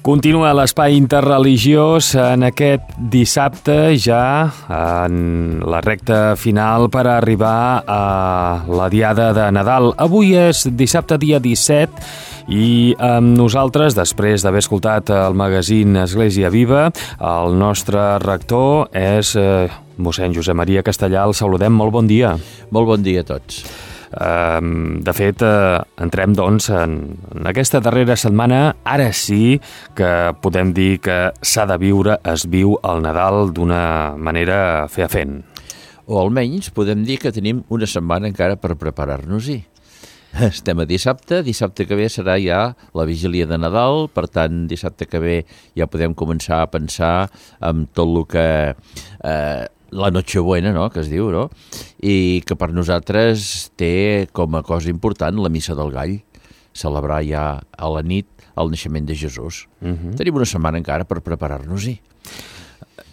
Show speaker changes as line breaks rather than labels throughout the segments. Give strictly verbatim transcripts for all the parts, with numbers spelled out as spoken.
Continua l'espai interreligiós en aquest dissabte, ja en la recta final per arribar a la diada de Nadal. Avui és dissabte dia disset i amb nosaltres, després d'haver escoltat el magazín Església Viva, el nostre rector és eh, mossèn Josep Maria Castellà. El saludem, molt bon dia.
Molt bon dia a tots.
De fet, entrem doncs en aquesta darrera setmana. Ara sí que podem dir que s'ha de viure, es viu el Nadal d'una manera feafent.
O almenys podem dir que tenim una setmana encara per preparar-nos-hi. Estem a dissabte, dissabte que ve serà ja la vigília de Nadal, per tant, dissabte que ve ja podem començar a pensar en tot el que... Eh, la Nochebuena, no?, que es diu, no?, i que per nosaltres té com a cosa important la Missa del Gall, celebrar ja a la nit el naixement de Jesús. Uh-huh. Tenim una setmana encara per preparar-nos-hi.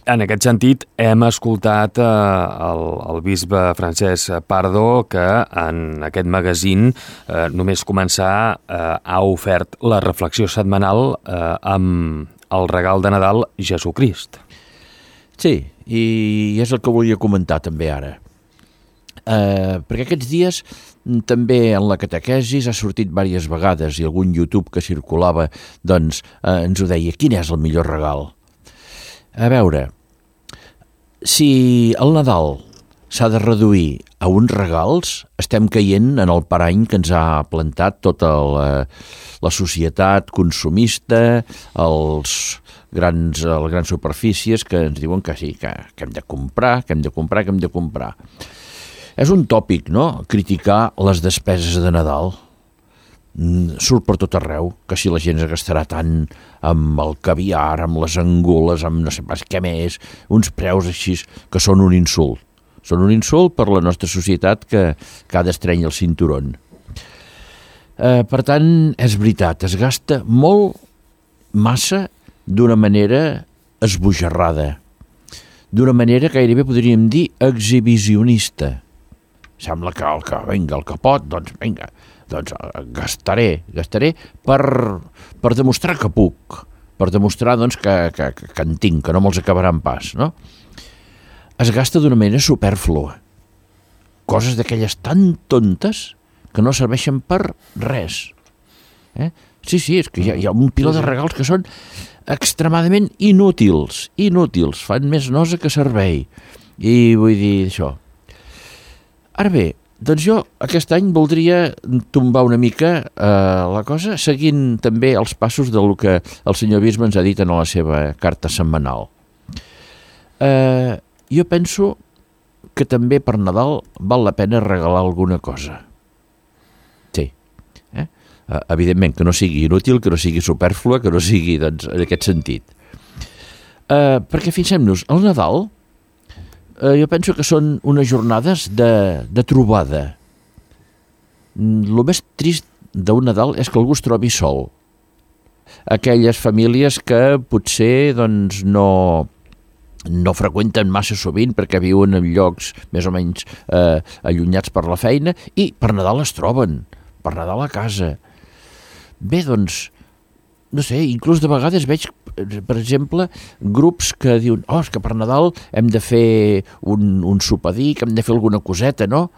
En aquest sentit, hem escoltat eh, el, el bisbe Francesc Pardo, que en aquest magazín eh, només començar eh, ha ofert la reflexió setmanal eh, amb el regal de Nadal, Jesucrist.
Sí, i és el que volia comentar també ara. Eh, perquè aquests dies també en la catequesis ha sortit diverses vegades i algun YouTube que circulava doncs eh, ens ho deia, quin és el millor regal? A veure, si el Nadal s'ha de reduir a uns regals, estem caient en el parany que ens ha plantat tota la, la societat consumista, els grans, les grans superfícies que ens diuen que sí, que, que hem de comprar, que hem de comprar, que hem de comprar. És un tòpic, no?, criticar les despeses de Nadal. Surt per tot arreu, que si la gent es gastarà tant amb el caviar, amb les angules, amb no sé pas què més, uns preus així que són un insult. Són un insult per la nostra societat que, que ha d'estrènyer el cinturon. Eh, per tant, és veritat, es gasta molt, massa, d'una manera esbojarrada, d'una manera gairebé podríem dir exhibicionista. Sembla que el que venga, el que pot, doncs vinga, doncs gastaré, gastaré per, per demostrar que puc, per demostrar doncs, que, que, que en tinc, que no me'ls acabaran pas, no? Es gasta d'una manera supèrflua. Coses d'aquelles tan tontes que no serveixen per res. Eh? Sí, sí, és que hi ha, hi ha un piló de regals que són extremadament inútils, inútils, fan més nosa que servei. I vull dir això. Ara bé, doncs jo aquest any voldria tombar una mica eh, la cosa, seguint també els passos del que el senyor bisbe ens ha dit en la seva carta setmanal. Eh, jo penso que també per Nadal val la pena regalar alguna cosa. Sí, eh? Evidentment que no sigui inútil, que no sigui supèrflua, que no sigui doncs, en aquest sentit. Eh, perquè fixem-nos, el Nadal eh, jo penso que són unes jornades de, de trobada. El més trist d'un Nadal és que algú es trobi sol. Aquelles famílies que potser doncs, no, no freqüenten massa sovint perquè viuen en llocs més o menys eh, allunyats per la feina i per Nadal es troben, per Nadal a casa. Bé, doncs, no sé, inclús de vegades veig, per exemple, grups que diuen, oh, és que per Nadal hem de fer un, un sopadir, que hem de fer alguna coseta, no?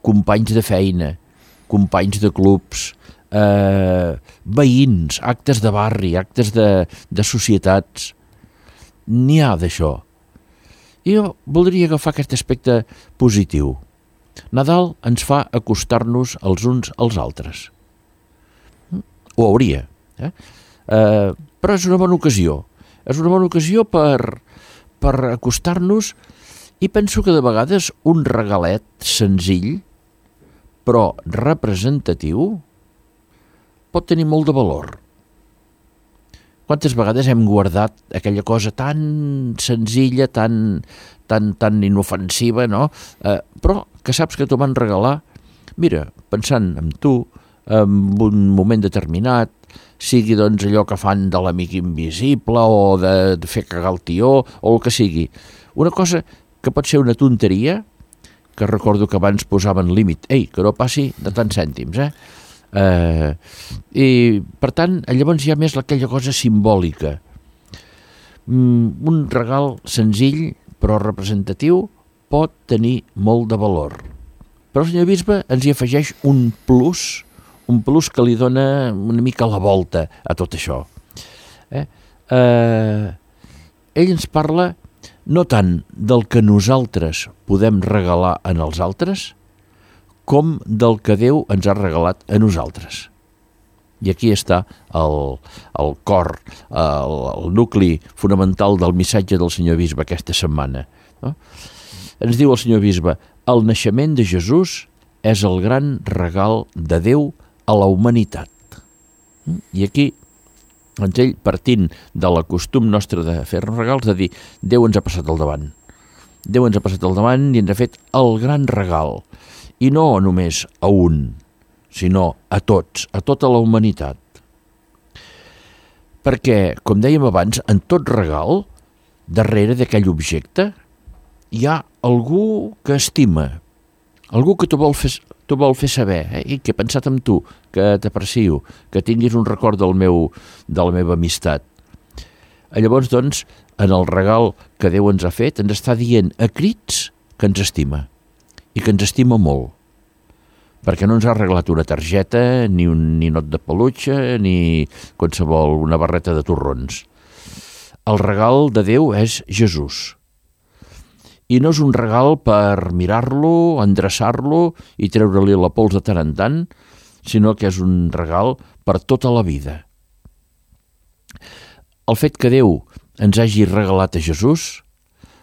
Companys de feina, companys de clubs, eh, veïns, actes de barri, actes de, de societats. N'hi ha d'això. I jo voldria agafar aquest aspecte positiu. Nadal ens fa acostar-nos els uns als altres. Ho hauria, eh? Eh, però és una bona ocasió. És una bona ocasió per, per acostar-nos i penso que de vegades un regalet senzill però representatiu pot tenir molt de valor. Quantes vegades hem guardat aquella cosa tan senzilla, tan, tan, tan inofensiva, no? Eh, però que saps que t'ho van regalar, mira, pensant en tu, en un moment determinat, sigui doncs allò que fan de l'amic invisible o de, de fer cagar el tió o el que sigui. Una cosa que pot ser una tonteria, que recordo que abans posaven límit, ei, que no passi de tants cèntims, eh? Eh, I, per tant, llavors hi ha més aquella cosa simbòlica. Mm, un regal senzill però representatiu pot tenir molt de valor. Però el senyor bisbe ens hi afegeix un plus, un plus que li dona una mica la volta a tot això. Eh? Eh, ell ens parla no tant del que nosaltres podem regalar en els altres, com del que Déu ens ha regalat a nosaltres. I aquí està el, el cor, el, el nucli fonamental del missatge del senyor bisbe aquesta setmana. No? Ens diu el senyor bisbe, el naixement de Jesús és el gran regal de Déu a la humanitat. I aquí, doncs ell, partint de la costum nostre de fer-nos regals, de dir, Déu ens ha passat al davant. Déu ens ha passat al davant i ens ha fet el gran regal. I no només a un, sinó a tots, a tota la humanitat. Perquè, com dèiem abans, en tot regal, darrere d'aquell objecte, hi ha algú que estima, algú que t'ho vol fer, t'ho vol fer saber, eh? I que he pensat en tu, que t'aprecio, que tinguis un record del meu, de la meva amistat. Llavors, doncs, en el regal que Déu ens ha fet, ens està dient a crits que ens estima, i que ens estima molt, perquè no ens ha arreglat una targeta, ni un ninot de peluche, ni qualsevol una barreta de torrons. El regal de Déu és Jesús. I no és un regal per mirar-lo, endreçar-lo i treure-li la pols de tant en tant, sinó que és un regal per tota la vida. El fet que Déu ens hagi regalat a Jesús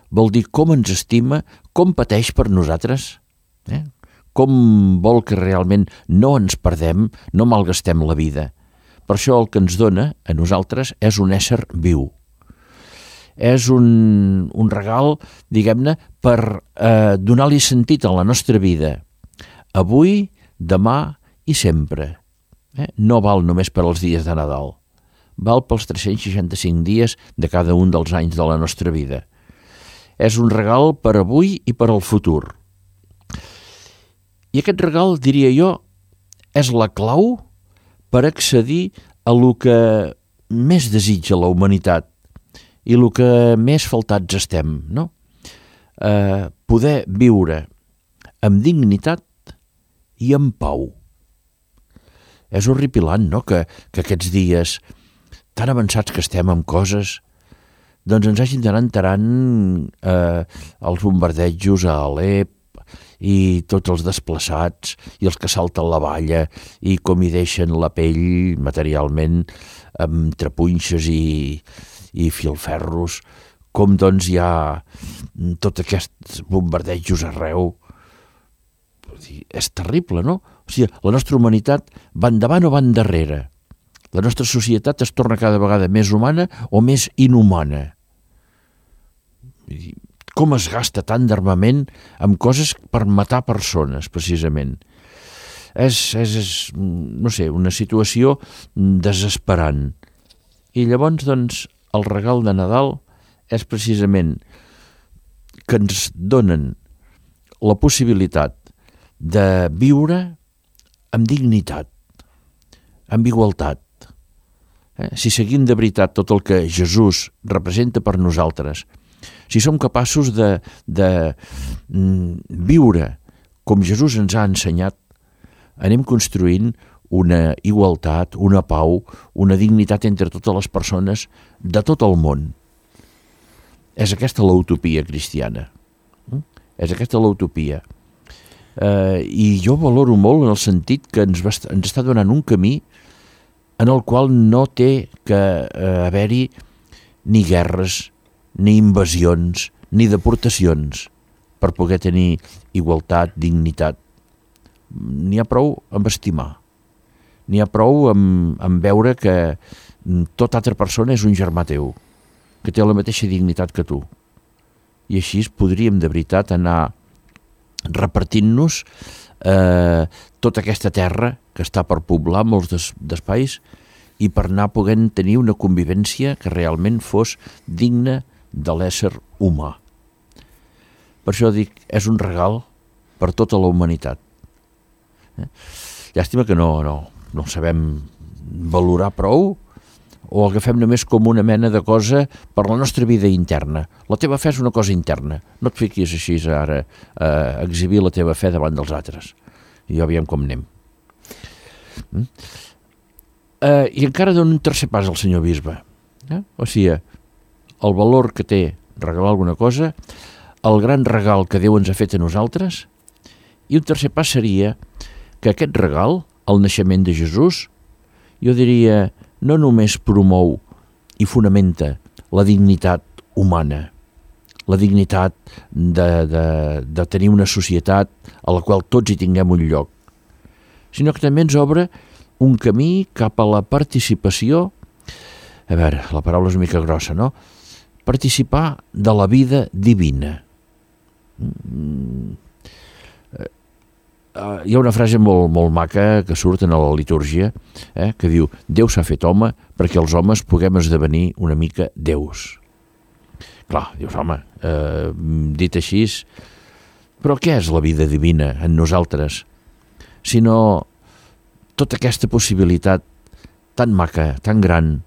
vol dir com ens estima, com pateix per nosaltres, eh? Com vol que realment no ens perdem, no malgastem la vida. Per això el que ens dona a nosaltres és un ésser viu. És un, un regal, diguem-ne, per eh, donar-li sentit a la nostra vida. Avui, demà i sempre. Eh? No val només per als dies de Nadal. Val pels tres-cents seixanta-cinc dies de cada un dels anys de la nostra vida. És un regal per avui i per al futur. I aquest regal, diria jo, és la clau per accedir a lo que més desitja la humanitat i el que més faltats estem, no? Eh, poder viure amb dignitat i amb pau. És horripilant, no?, que, que aquests dies tan avançats que estem amb coses, doncs ens hagin d'anar enterant eh, els bombardejos a Alep i tots els desplaçats i els que salten la valla i com hi deixen la pell materialment amb trapunxes i, i filferros, com doncs hi ha tots aquests bombardejos arreu. És terrible, no? O sigui, la nostra humanitat va endavant o va endarrere? La nostra societat es torna cada vegada més humana o més inhumana? Com es gasta tant d'armament amb coses per matar persones, precisament? És, és, és, no sé, una situació desesperant. I llavors, doncs, el regal de Nadal és precisament que ens donen la possibilitat de viure amb dignitat, amb igualtat. Eh? Si seguim de veritat tot el que Jesús representa per nosaltres, si som capaços de, de mm, viure com Jesús ens ha ensenyat, anem construint una igualtat, una pau, una dignitat entre totes les persones de tot el món. És aquesta l'utopia cristiana. És aquesta l'utopia. Eh, I jo valoro molt en el sentit que ens, va, ens està donant un camí en el qual no té que eh, haver-hi ni guerres, ni invasions, ni deportacions per poder tenir igualtat, dignitat. N'hi ha prou amb estimar. N'hi ha prou amb, amb veure que tota altra persona és un germà teu, que té la mateixa dignitat que tu. I així podríem de veritat anar repartint-nos eh, tota aquesta terra que està per poblar molts des, d'espais i per anar podent tenir una convivència que realment fos digna de l'ésser humà. Per això dic, és un regal per tota la humanitat. Eh? Llàstima que no, no, no el sabem valorar prou, o agafem només com una mena de cosa per la nostra vida interna. La teva fe és una cosa interna. No et fiquis així ara a exhibir la teva fe davant dels altres. I ja veiem com anem. Mm? Uh, I encara dona un tercer pas al senyor bisbe. Eh? O sigui, el valor que té regalar alguna cosa, el gran regal que Déu ens ha fet a nosaltres, i un tercer pas seria que aquest regal, el naixement de Jesús, jo diria, no només promou i fonamenta la dignitat humana, la dignitat de, de, de tenir una societat a la qual tots hi tinguem un lloc, sinó que també ens obre un camí cap a la participació, a veure, la paraula és una mica grossa, no? Participar de la vida divina. Mm. Uh, hi ha una frase molt, molt maca que surt en la litúrgia, eh, que diu: Déu s'ha fet home perquè els homes puguem esdevenir una mica déus. Clar, dius, home, eh, dit així, però què és la vida divina en nosaltres? Sinó tota aquesta possibilitat tan maca, tan gran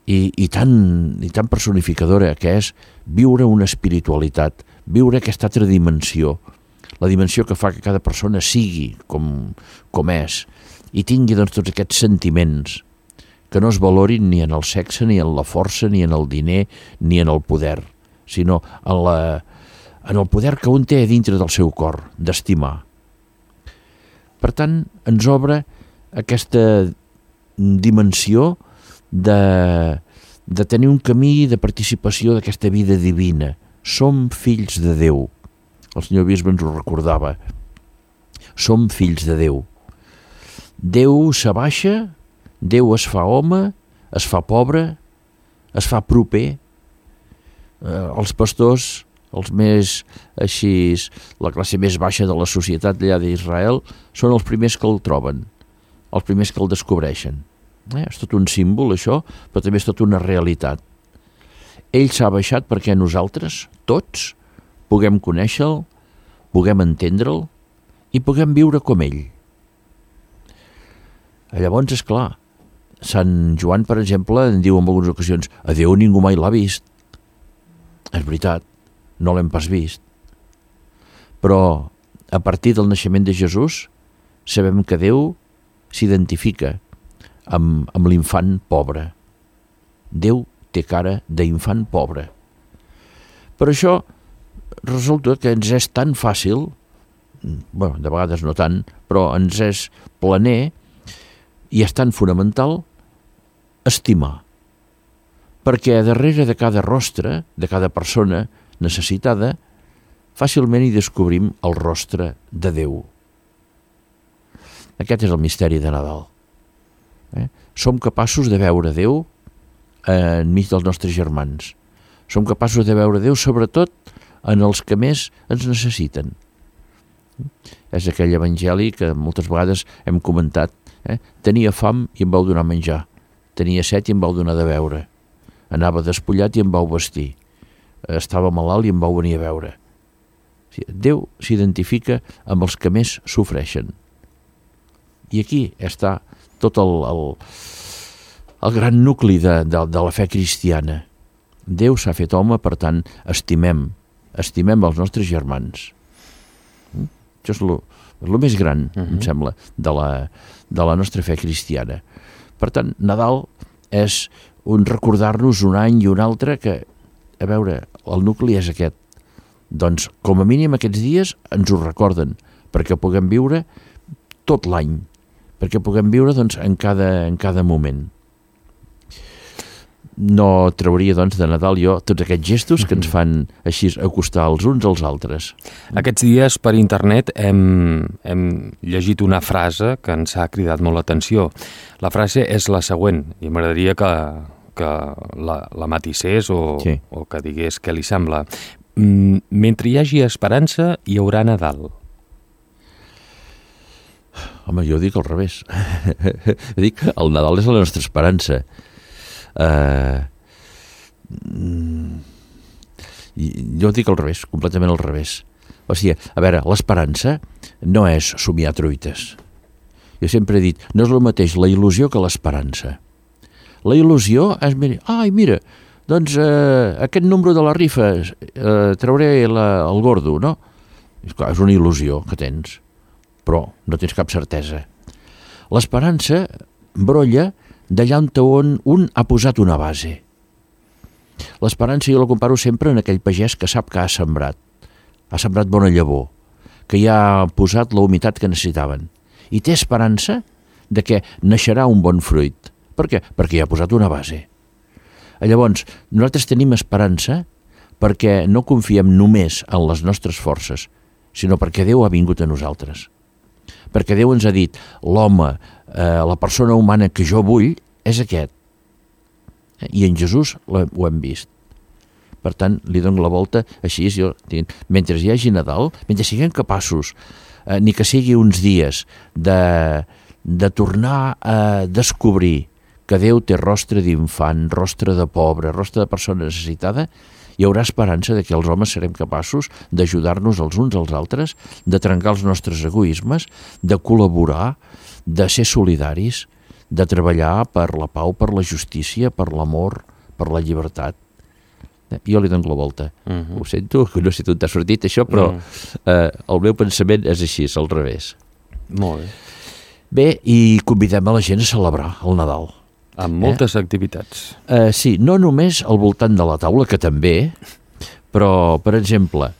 i, i, tan, i tan personificadora que és viure una espiritualitat, viure aquesta altra dimensió, la dimensió que fa que cada persona sigui com, com és i tingui doncs, tots aquests sentiments que no es valorin ni en el sexe, ni en la força, ni en el diner, ni en el poder, sinó en, la, en el poder que un té a dintre del seu cor, d'estimar. Per tant, ens obre aquesta dimensió de, de tenir un camí de participació d'aquesta vida divina. Som fills de Déu. El senyor bisbe ens ho recordava. Som fills de Déu. Déu s'abaixa, Déu es fa home, es fa pobre, es fa proper. Eh, els pastors, els més així, la classe més baixa de la societat allà d'Israel, són els primers que el troben, els primers que el descobreixen. Eh, és tot un símbol, això, però també és tot una realitat. Ell s'ha baixat perquè nosaltres, tots, puguem conèixer-lo, puguem entendre'l i puguem viure com ell. Llavors, és clar, Sant Joan, per exemple, en diu en algunes ocasions: a Déu ningú mai l'ha vist. És veritat, no l'hem pas vist. Però a partir del naixement de Jesús sabem que Déu s'identifica amb, amb l'infant pobre. Déu té cara d'infant pobre. Per això resulta que ens és tan fàcil, bueno, de vegades no tant, però ens és planer i és tan fonamental estimar. Perquè darrere de cada rostre, de cada persona necessitada, fàcilment hi descobrim el rostre de Déu. Aquest és el misteri de Nadal. Eh? Som capaços de veure Déu enmig dels nostres germans. Som capaços de veure Déu, sobretot, en els que més ens necessiten. És aquell evangeli que moltes vegades hem comentat. Eh? Tenia fam i em vau donar menjar. Tenia set i em vau donar de beure. Anava despullat i em vau vestir. Estava malalt i em vau venir a veure. Déu s'identifica amb els que més sofreixen. I aquí està tot el, el, el gran nucli de, de, de la fe cristiana. Déu s'ha fet home, per tant, estimem, estimem els nostres germans. Això és el més gran, uh-huh. em sembla, de la, de la nostra fe cristiana. Per tant, Nadal és un recordar-nos un any i un altre que, a veure, el nucli és aquest. Doncs, com a mínim, aquests dies ens ho recorden, perquè puguem viure tot l'any, perquè puguem viure doncs, en, cada, en cada moment. No trauria, doncs, de Nadal jo tots aquests gestos que ens fan així acostar els uns als altres.
Aquests dies per internet hem, hem llegit una frase que ens ha cridat molt l'atenció. La frase és la següent, i m'agradaria que, que la, la matissés o, sí. o que digués què li sembla. Mentre hi hagi esperança, hi haurà Nadal.
Home, jo dic al revés. Dic que el Nadal és la nostra esperança. Uh, jo dic al revés, completament al revés. O sigui, a veure, l'esperança no és somiar truites. Jo sempre he dit, no és el mateix la il·lusió que l'esperança. La il·lusió és, ai, mira, doncs eh, aquest número de la rifa eh, trauré la, el gordo, no? És, clar, és una il·lusió que tens, però no tens cap certesa. L'esperança brolla d'allà on un ha posat una base. L'esperança jo la comparo sempre en aquell pagès que sap que ha sembrat, ha sembrat bona llavor, que ja ha posat la humitat que necessitaven, i té esperança de que naixerà un bon fruit. Per què? Perquè ja ha posat una base. Llavors, nosaltres tenim esperança perquè no confiem només en les nostres forces, sinó perquè Déu ha vingut a nosaltres. Perquè Déu ens ha dit, l'home, eh, la persona humana que jo vull és aquest. I en Jesús ho hem vist. Per tant, li dono la volta així, jo, mentre hi hagi Nadal, mentre siguem capaços, eh, ni que sigui uns dies, de, de tornar a descobrir que Déu té rostre d'infant, rostre de pobre, rostre de persona necessitada, hi haurà esperança de que els homes serem capaços d'ajudar-nos els uns als altres, de trencar els nostres egoismes, de col·laborar, de ser solidaris, de treballar per la pau, per la justícia, per l'amor, per la llibertat. Jo li dono la volta. Uh-huh. Ho sento, no sé on t'ha sortit això, però uh-huh. eh, el meu pensament és així, és al revés.
Molt bé.
Bé, i convidem a la gent a celebrar el Nadal.
Amb moltes eh? activitats.
Uh, sí, no només al voltant de la taula, que també, però, per exemple,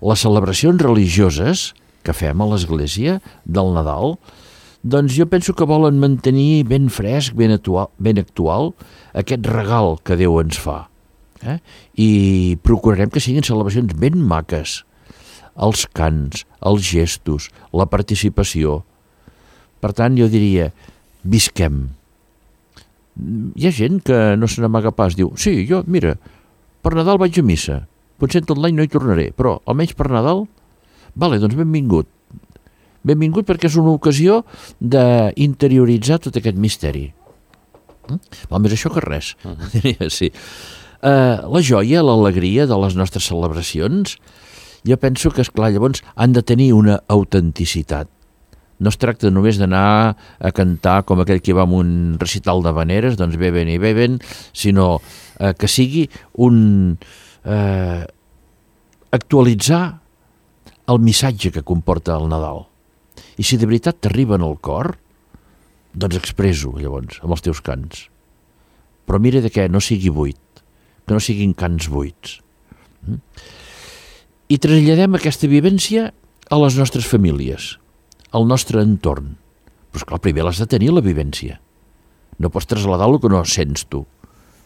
les celebracions religioses que fem a l'església del Nadal, doncs jo penso que volen mantenir ben fresc, ben actual, ben actual aquest regal que Déu ens fa. Eh? I procurarem que siguin celebracions ben maques. Els cants, els gestos, la participació. Per tant, jo diria, visquem. Hi ha gent que no se n'amaga pas, diu, sí, jo, mira, per Nadal vaig a missa, potser tot l'any no hi tornaré, però almenys per Nadal, vale, doncs benvingut. Benvingut perquè és una ocasió d'interioritzar tot aquest misteri. Mm? Val més això que res, uh-huh. diria, sí. Uh, la joia, l'alegria de les nostres celebracions, jo penso que, esclar, llavors han de tenir una autenticitat. No es tracta només d'anar a cantar com aquell que va amb un recital de veneres, doncs beben i beben, sinó eh, que sigui un eh, actualitzar el missatge que comporta el Nadal. I si de veritat t'arriba en el cor, doncs expresso, llavors, amb els teus cants. Però mira de què no sigui buit, que no siguin cants buits. Mm? I traslladem aquesta vivència a les nostres famílies, al nostre entorn. Però esclar, primer l'has de tenir, la vivència. No pots traslladar el que no sents tu.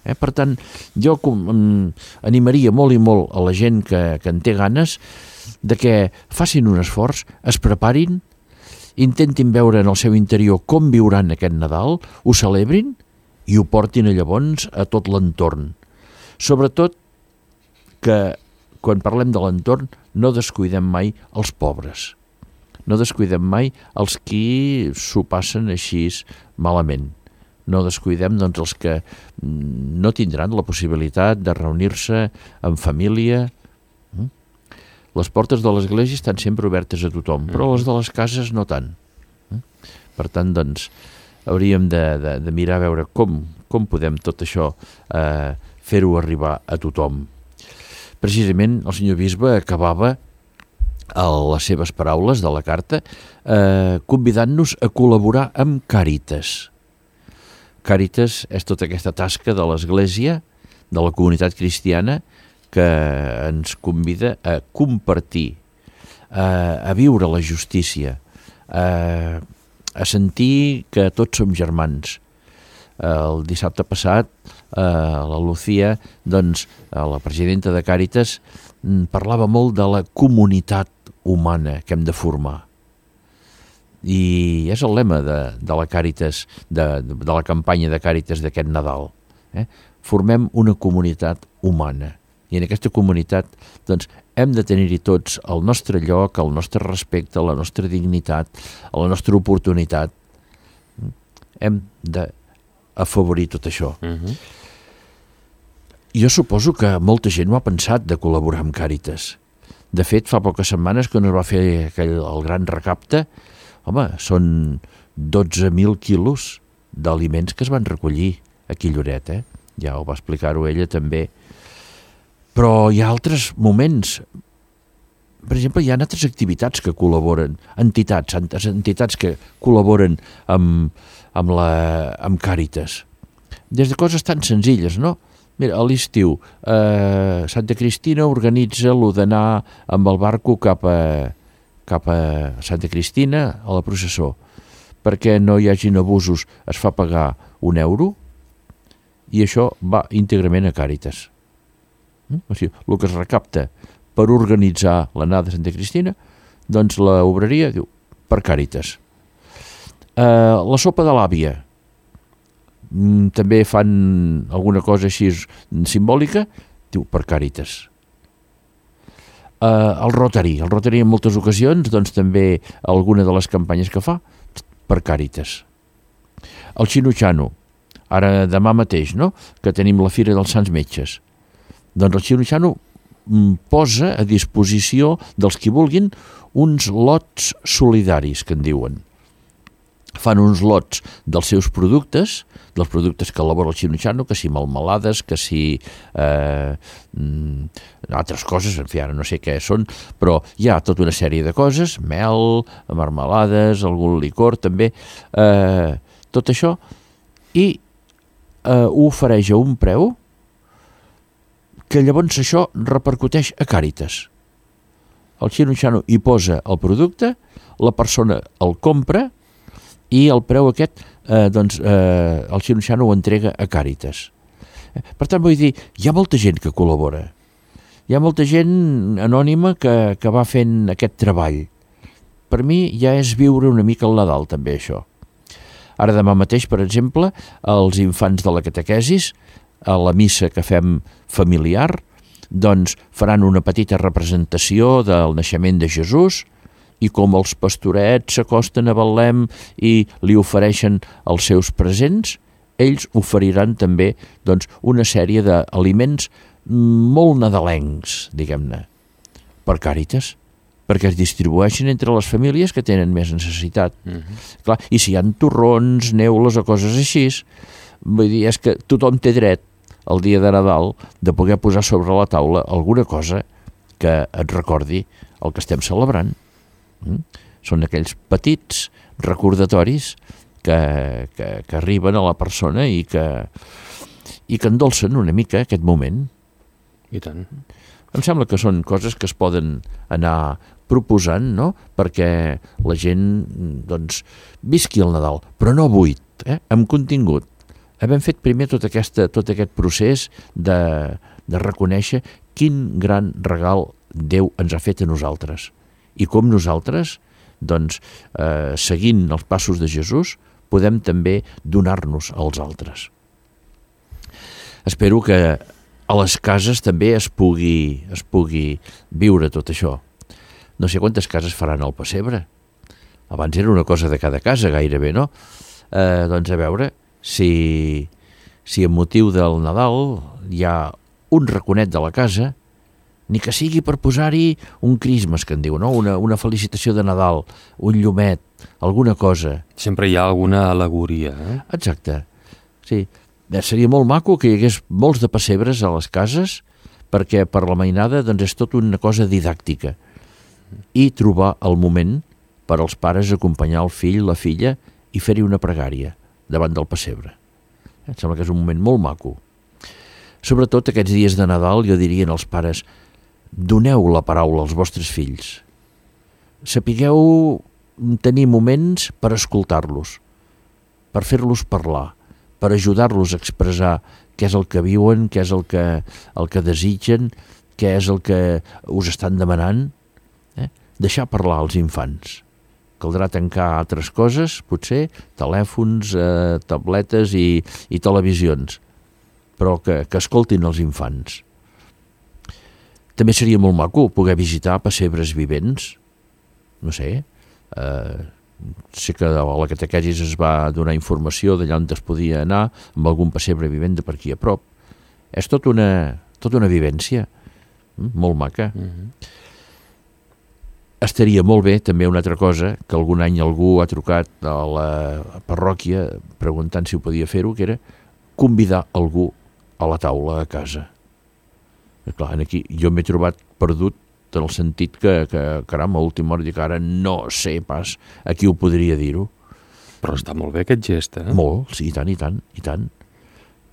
Eh? Per tant, jo com, um, animaria molt i molt a la gent que, que en té ganes de que facin un esforç, es preparin, intentin veure en el seu interior com viuran aquest Nadal, ho celebrin i ho portin llavors a tot l'entorn. Sobretot que quan parlem de l'entorn no descuidem mai els pobres. No descuidem mai els qui s'ho passen així malament. No descuidem doncs, els que no tindran la possibilitat de reunir-se en família. Les portes de l'església estan sempre obertes a tothom, però les de les cases no tant. Per tant, doncs, hauríem de, de, de mirar a veure com, com podem tot això eh, fer-ho arribar a tothom. Precisament el senyor bisbe acabava a les seves paraules de la carta, eh, convidant-nos a col·laborar amb Càritas. Càritas és tota aquesta tasca de l'Església, de la comunitat cristiana, que ens convida a compartir, a, a viure la justícia, a, a sentir que tots som germans. El dissabte passat, eh, la Lucía, doncs, la presidenta de Càritas, parlava molt de la comunitat humana que hem de formar. I és el lema de, de la Càritas, de, de la campanya de Càritas d'aquest Nadal. Eh? Formem una comunitat humana. I en aquesta comunitat doncs, hem de tenir-hi tots el nostre lloc, el nostre respecte, la nostra dignitat, la nostra oportunitat. Hem d'afavorir tot això. Uh-huh. Jo suposo que molta gent ho ha pensat de col·laborar amb Càritas. De fet, fa poques setmanes, quan es va fer aquell, el gran recapte, home, són dotze mil quilos d'aliments que es van recollir aquí a Lloret, eh? Ja ho va explicar-ho ella també. Però hi ha altres moments. Per exemple, hi ha altres activitats que col·laboren, entitats, entitats que col·laboren amb, amb, la, amb Càritas. Des de coses tan senzilles, no? Mira, a l'estiu, eh, Santa Cristina organitza lo d'anar amb el barco cap a, cap a Santa Cristina a la processó. Perquè no hi hagin abusos, es fa pagar un euro i això va íntegrament a Càritas. O sigui, el que es recapta per organitzar l'anada de Santa Cristina, doncs la obreria diu per Càritas. Eh, la sopa de l'àvia, mm, també fan alguna cosa així simbòlica, diu per Càritas. Eh, el Rotary, el Rotary en moltes ocasions, doncs també alguna de les campanyes que fa, per Càritas. El Xino-Xano, ara demà mateix, no?, que tenim la Fira dels Sants Metges. Doncs el Xino-Xano posa a disposició dels qui vulguin uns lots solidaris, que en diuen. Fan uns lots dels seus productes, dels productes que elabora el Xino-Xano, que si melmelades, que si eh, altres coses, en fi, ara no sé què són, però hi ha tota una sèrie de coses, mel, marmelades, algun licor també, eh, tot això, i eh, ho ofereix a un preu que llavors això repercuteix a Càritas. El Xino-Xano hi posa el producte, la persona el compra i el preu aquest, eh, doncs, eh, el Xino-Xano ho entrega a Càritas. Per tant, vull dir, hi ha molta gent que col·labora. Hi ha molta gent anònima que, que va fent aquest treball. Per mi ja és viure una mica el Nadal, també, això. Ara demà mateix, per exemple, els infants de la catequesis, a la missa que fem familiar, doncs faran una petita representació del naixement de Jesús, i com els pastorets s'acosten a Betlem i li ofereixen els seus presents, ells oferiran també doncs, una sèrie d'aliments molt nadalencs, diguem-ne, per Càritas, perquè es distribueixen entre les famílies que tenen més necessitat. Uh-huh. Clar, i si hi ha torrons, neules o coses així, vull dir, és que tothom té dret el dia de Nadal de poder posar sobre la taula alguna cosa que et recordi el que estem celebrant. Mm? Són aquells petits recordatoris que, que, que arriben a la persona i que, i que endolcen una mica aquest moment.
I tant.
Em sembla que són coses que es poden anar proposant, no?, perquè la gent doncs, visqui el Nadal, però no buit, eh? Amb contingut. Hem fet primer tot, aquesta, tot aquest procés de, de reconèixer quin gran regal Déu ens ha fet a nosaltres i com nosaltres, doncs, eh, seguint els passos de Jesús, podem també donar-nos als altres. Espero que a les cases també es pugui, es pugui viure tot això. No sé quantes cases faran el pessebre. Abans era una cosa de cada casa, gairebé, no? Eh, doncs a veure si, si amb motiu del Nadal hi ha un raconet de la casa, ni que sigui per posar-hi un Christmas, que en diu, no? Una, una felicitació de Nadal, un llumet, alguna cosa.
Sempre hi ha alguna al·legoria, eh?
Exacte, sí. Seria molt maco que hi hagués molts de pessebres a les cases, perquè per la mainada doncs, és tot una cosa didàctica. I trobar el moment per als pares acompanyar el fill, la filla, i fer-hi una pregària davant del pessebre. Em sembla que és un moment molt maco. Sobretot aquests dies de Nadal, jo diria als pares, doneu la paraula als vostres fills. Sapigueu tenir moments per escoltar-los, per fer-los parlar, per ajudar-los a expressar què és el que viuen, què és el que, el que desitgen, què és el que us estan demanant. Eh? Deixar parlar als infants. Caldrà tancar altres coses, potser, telèfons, eh, tabletes i, i televisions, però que, que escoltin els infants. També seria molt maco poder visitar pessebres vivents, no sé, eh, sé que a la catequesis es va donar informació d'allà on es podia anar amb algun pessebre vivent de per aquí a prop. És tot una, tot una vivència molt maca. Mm-hmm. estaria molt bé, també una altra cosa, que algun any algú ha trucat a la parròquia preguntant si ho podia fer-ho, que era convidar algú a la taula a casa. I clar, aquí jo m'he trobat perdut en el sentit que, que caram, a última hora dic, ara no sé pas a qui ho podria dir-ho.
Però està molt bé aquest gest, eh?
Molt, sí, i tant, i tant, i tant.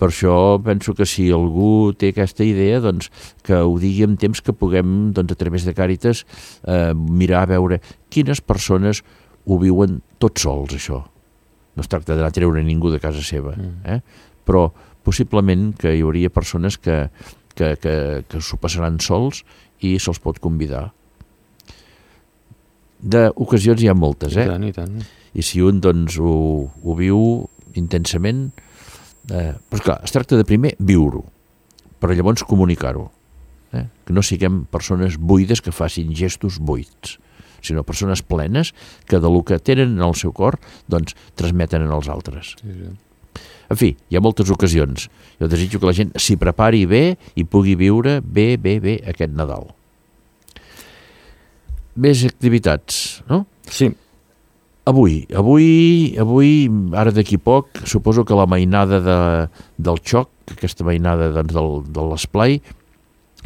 Per això penso que si algú té aquesta idea, doncs que ho digui en temps que puguem, doncs, a través de Càritas, eh, mirar a veure quines persones ho viuen tots sols, això. No es tracta d'anar a treure ningú de casa seva, eh? Però possiblement que hi hauria persones que, que, que, que s'ho passaran sols i se'ls pot convidar. D'ocasions hi ha moltes, eh?
I tant, i tant.
I si un, doncs, ho, ho viu intensament, eh, però clar, es tracta de primer viure-ho, però llavors comunicar-ho, eh? Que no siguem persones buides que facin gestos buits, sinó persones plenes que del que tenen en el seu cor, doncs, transmeten en els altres.
Sí, sí.
En fi, hi ha moltes ocasions. Jo desitjo que la gent s'hi prepari bé i pugui viure bé, bé, bé aquest Nadal. Més activitats, no?
Sí.
Avui, avui, avui, ara d'aquí poc, suposo que la mainada de, del xoc, aquesta mainada doncs, del, de l'esplai,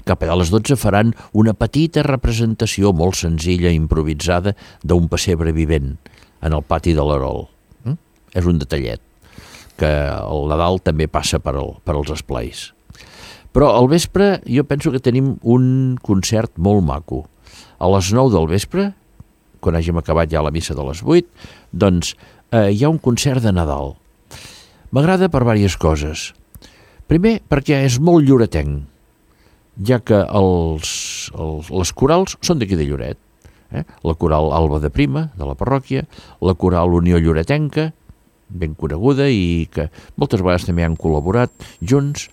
cap a les dotze faran una petita representació molt senzilla, improvisada, d'un pessebre vivent en el pati de l'Erol. Mm? És un detallet, que el Nadal també passa per, el, per als esplais. Però al vespre jo penso que tenim un concert molt maco. A les nou del vespre, quan hàgim acabat ja la missa de les vuit, doncs eh, hi ha un concert de Nadal. M'agrada per diverses coses. Primer, perquè és molt lloretenc, ja que els, els, les corals són d'aquí de Lloret. Eh? La coral Alba de Prima, de la parròquia, la coral Unió Lloretenca, ben coneguda i que moltes vegades també han col·laborat junts,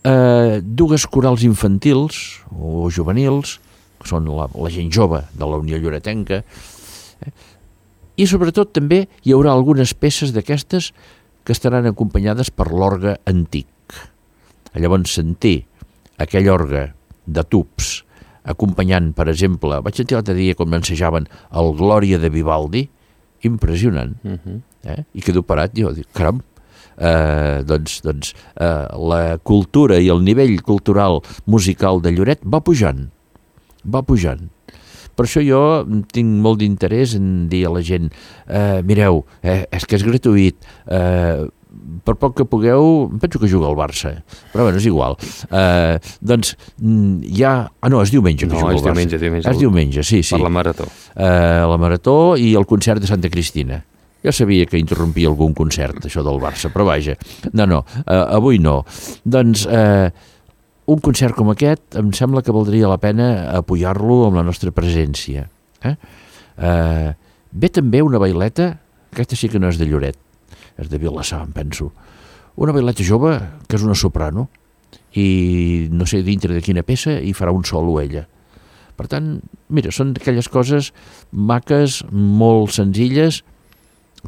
eh, dues corals infantils o juvenils, que són la, la gent jove de la Unió Lloretenca, eh, i sobretot també hi haurà algunes peces d'aquestes que estaran acompanyades per l'orgue antic. Llavors sentir aquell orgue de tubs acompanyant, per exemple, vaig sentir l'altre dia com ensejaven el Glòria de Vivaldi, impressionant, uh-huh. eh? I quedo parat, jo dic, caram, eh, doncs, doncs eh, la cultura i el nivell cultural musical de Lloret va pujant, va pujant. Per això jo tinc molt d'interès en dir a la gent, eh, mireu, eh, és que és gratuït, eh, per poc que pugueu, penso que juga al Barça, però bueno, és igual. Eh, doncs hi ha... Ah, no, és diumenge que
no,
juga al Barça. No, és
diumenge, diumenge.
És diumenge, sí, sí.
Per la Marató.
Eh, la Marató i el concert de Santa Cristina. Jo sabia que interrompia algun concert, això del Barça, però vaja. No, no, eh, avui no. Doncs eh, un concert com aquest em sembla que valdria la pena apoyar-lo amb la nostra presència. Eh? Eh, ve també una baileta, aquesta sí que no és de Lloret, és de Vilassar, em penso. Una baileta jove, que és una soprano, i no sé dintre de quina peça, i farà un solo ella. Per tant, mira, són aquelles coses maques, molt senzilles,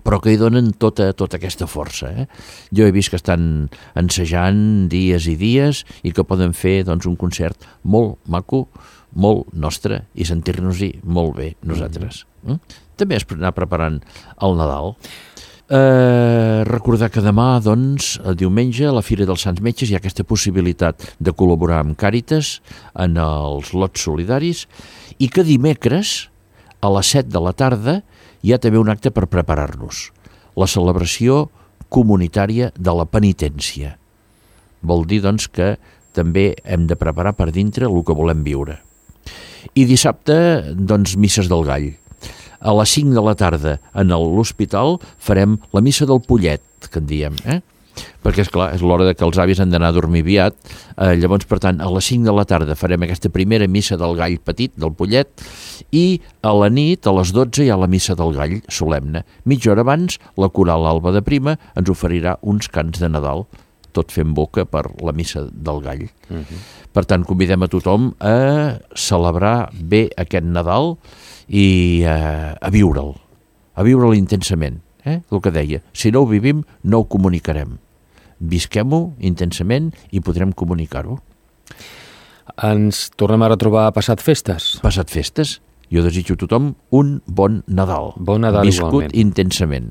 però que hi donen tota, tota aquesta força. Eh? Jo he vist que estan ensejant dies i dies i que poden fer doncs, un concert molt maco, molt nostre, i sentir-nos-hi molt bé nosaltres. Mm. També és anar preparant el Nadal. Eh, recordar que demà, doncs, el diumenge, a la Fira dels Sants Metges, hi ha aquesta possibilitat de col·laborar amb Càritas en els lots solidaris i que dimecres, a les set de la tarda, hi ha també un acte per preparar-nos. La celebració comunitària de la penitència. Vol dir, doncs, que també hem de preparar per dintre el que volem viure. I dissabte, doncs, misses del Gall. A les cinc de la tarda en l'hospital farem la missa del pollet, que en diem, eh? Perquè, és clar, és l'hora de que els avis han d'anar a dormir aviat, eh, llavors, per tant, a les cinc de la tarda farem aquesta primera missa del gall petit, del pollet, i a la nit, a les dotze, hi ha la missa del gall solemne. Mitja hora abans, la coral Alba de Prima ens oferirà uns cants de Nadal, tot fent boca per la missa del gall. Uh-huh. Per tant, convidem a tothom a celebrar bé aquest Nadal i eh, a viure'l, a viure'l intensament, eh? El que deia, si no ho vivim, no ho comunicarem. Visquem-ho intensament i podrem comunicar-ho.
Ens tornem a retrobar passat festes?
Passat festes, Jo desitjo a tothom un bon Nadal.
Bon Nadal
viscut
igualment.
intensament.